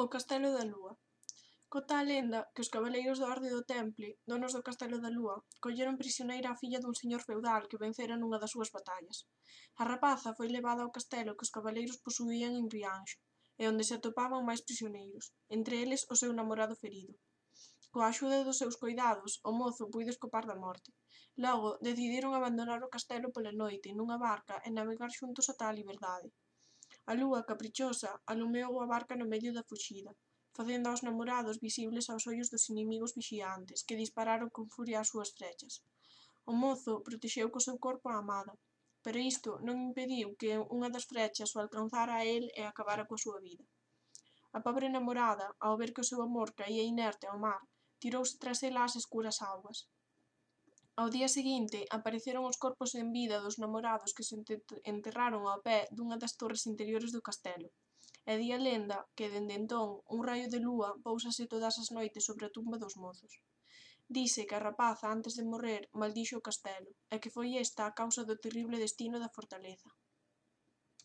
O castelo da lúa. Conta a lenda que os cabaleiros da Orde do Temple, donos do castelo da lúa, colleron prisioneira a filla dun señor feudal que vencera nunha das súas batallas. A rapaza foi levada ao castelo que os cabaleiros posuían en Rianxo, e onde se atopaban máis prisioneiros, entre eles o seu namorado ferido. Coa axuda dos seus coidados, o mozo puido escapar da morte. Logo, decidiron abandonar o castelo pola noite nunha barca e navegar xuntos ata a liberdade. A lúa, caprichosa, alumeou a barca no medio da fuxida, facendo aos namorados visibles aos ollos dos inimigos vixiantes, que dispararon con furia as súas flechas. O mozo protexeu co seu corpo a amada, pero isto non impediu que unha das flechas o alcanzara a el e acabara coa súa vida. A pobre namorada, ao ver que o seu amor caía inerte ao mar, tirouse tras ela ás escuras augas. Ao día seguinte, apareceron os corpos sen vida dos namorados que se enterraron ao pé dunha das torres interiores do castelo. E di a lenda que, dende entón, un raio de lúa póusase todas as noites sobre a tumba dos mozos. Dise que a rapaza, antes de morrer, maldixo o castelo, e que foi esta a causa do terrible destino da fortaleza.